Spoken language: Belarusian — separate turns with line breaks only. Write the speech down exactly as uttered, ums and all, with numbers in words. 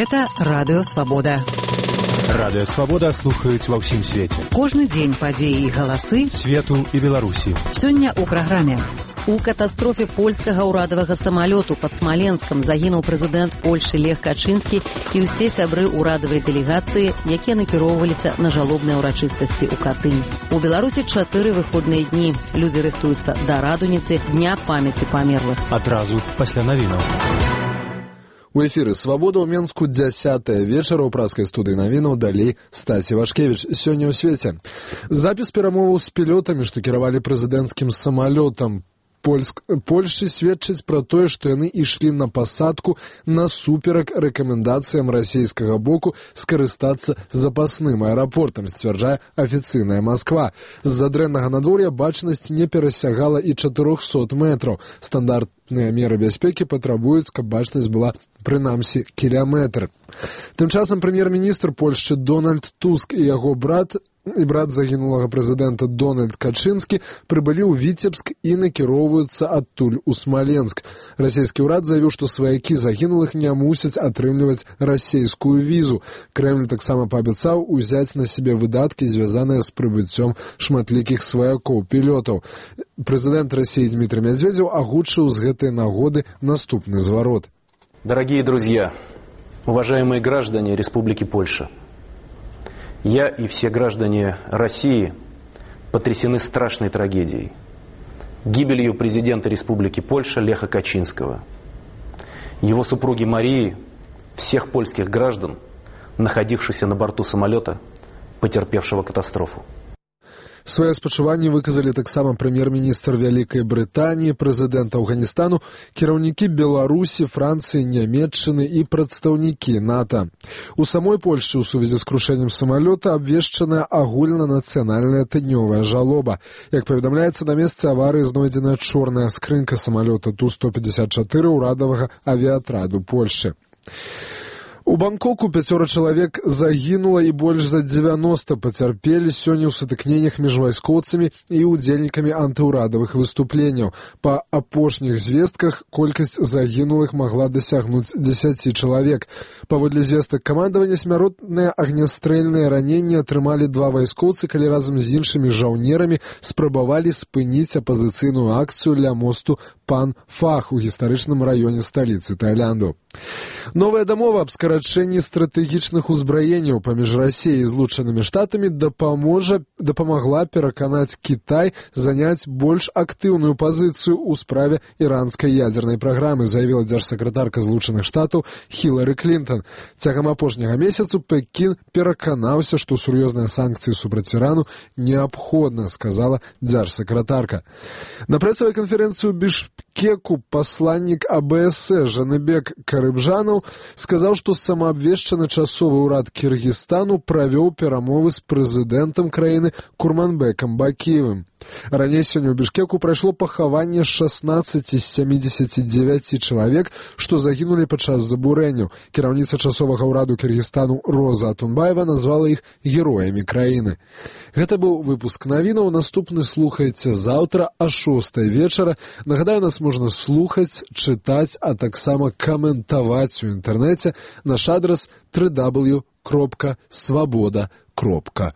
Гэта Радыё Свабода.
Радыё Свабода слухаюць ва ўсім свеце.
Кожны дзень падзеі і галасы
свету і Беларусі.
Сёння ў праграме. У катастрофе польскага ўрадавага самалёту пад Смаленскам загінуў прэзідэнт Польшы Лех Качынскі і ўсе сябры ўрадавай дэлегацыі, якія накіроўваліся на жалобныя ўрачыстасці ў Катынь. У Беларусі чатыры выходныя дні. Людзі рыхтуюцца да радуніцы Дня памяці памерлых.
Адразу пасля навінаў.
У эфіры «Свабода» ў Менску дзясятая вечара ў праскай студыі навінаў, далей Стасі Вашкевіч. Сёння ў свеце. Запіс перамоваў з пілотамі, што кіравалі прэзідэнцкім самалётам Польск... Польшчы сведчыць пра тое, што яны ішлі на пасадку насуперак рэкамендацыям расійскага боку скарыстацца запасным аэрапортам, сцвярджае афіцыйная Масква. З-за дрэннага надвор'я бачнасць не перасягала і чатырохсот метраў. Стандартныя меры бяспекі патрабуюць, каб бачнасць была прынамсі кіляметр. Тым часам прэм'ер-міністр Польшчы Дональд Туск і яго брат і брат загінулага прэзідэнта Дональд Качынскі прыбылі ў Віцебск і накіроўваюцца адтуль у Смаленск. Расійскі ўрад заявіў, што сваякі загінулых не мусяць атрымліваць расійскую візу. Крэмль таксама паабяцаў узяць на сябе выдаткі, звязаныя з прыбыццём шматлікіх сваякоў пілётаў. Прэзідэнт Расіі Дмітрий Медведев агучыў з гэтай нагоды наступны зварот.
Дорогие друзья, уважаемые граждане Республики Польша, я и все граждане России потрясены страшной трагедией, гибелью президента Республики Польша Леха Качинского, его супруги Марии, всех польских граждан, находившихся на борту самолета, потерпевшего катастрофу.
Свае спачуванні выказалі таксама прэм'ер-міністр Вялікай Брытаніі, прэзідэнт Афганістану, кіраўнікі Беларусі, Францыі, Нямецчыны і прадстаўнікі НАТО. У самой Польшчы ў сувязі з крушэннем самалёта абвешчаная агульнанацыянальная тыднёвая жалоба. Як паведамляецца, на месцы аварыі знойдзена чорная скрынка самалёта Ту сто пятьдесят четыре ўрадавага авіятраду Польшчы. У Бангкоку пяцёра чалавек загінула і больш за дзевяноста пацярпелі сёння ў сутыкненнях між вайскоўцамі і ўдзельнікамі антыўрадавых выступленняў. Па апошніх звестках колькасць загінулых магла дасягнуць дзесяці чалавек. Паводле звестак камандавання, смяротныя агнястрэльныя раненні атрымалі два вайскоўцы, калі разам з іншымі жаўнерамі спрабавалі спыніць апазіцыйную акцыю ля мосту Пан Фах у гістарычным раёне сталіцы Таілянду. Новая дамова аб скарачэнні стратэгічных узбраенняў паміж Расіяй і Злучанымі Штатамі дапаможа, дапамагла пераканаць Кітай заняць больш актыўную пазіцыю ў справе іранскай ядзернай праграмы, заявіла дзяржсакратарка Злучаных Штатаў Хілары Клінтон. Цягам апошняга месяцу Пекін пераканаўся, што сур'ёзныя санкцыі супраць Ірану неабходна, сказала дзяржсакратарка. На прэсавай канферэнцыі ў Бішкеку пасланнік А Бэ Эс Э Жаныбек Карыбжанаў сказаў, што самаабвешчаны часовы ўрад Кіргізстану правёў перамовы з прэзідэнтам краіны Курманбекам Бакіевым. Раней сёння ў Бішкеку прайшло пахаванне шаснаццаці з сямідзесяці дзевяці чалавек, што загінулі падчас забурэнняў. Кіраўніца часовага ўраду Кіргізстану Роза Атунбаева назвала іх героямі краіны. Гэта быў выпуск навінаў. Наступны слухайце заўтра а шостай вечара. Нагадаю, нас можна слухаць, чытаць, а таксама каментаваць у інтэрнэце. Наш адрас дабл ю дабл ю дабл ю кропка свабода кропка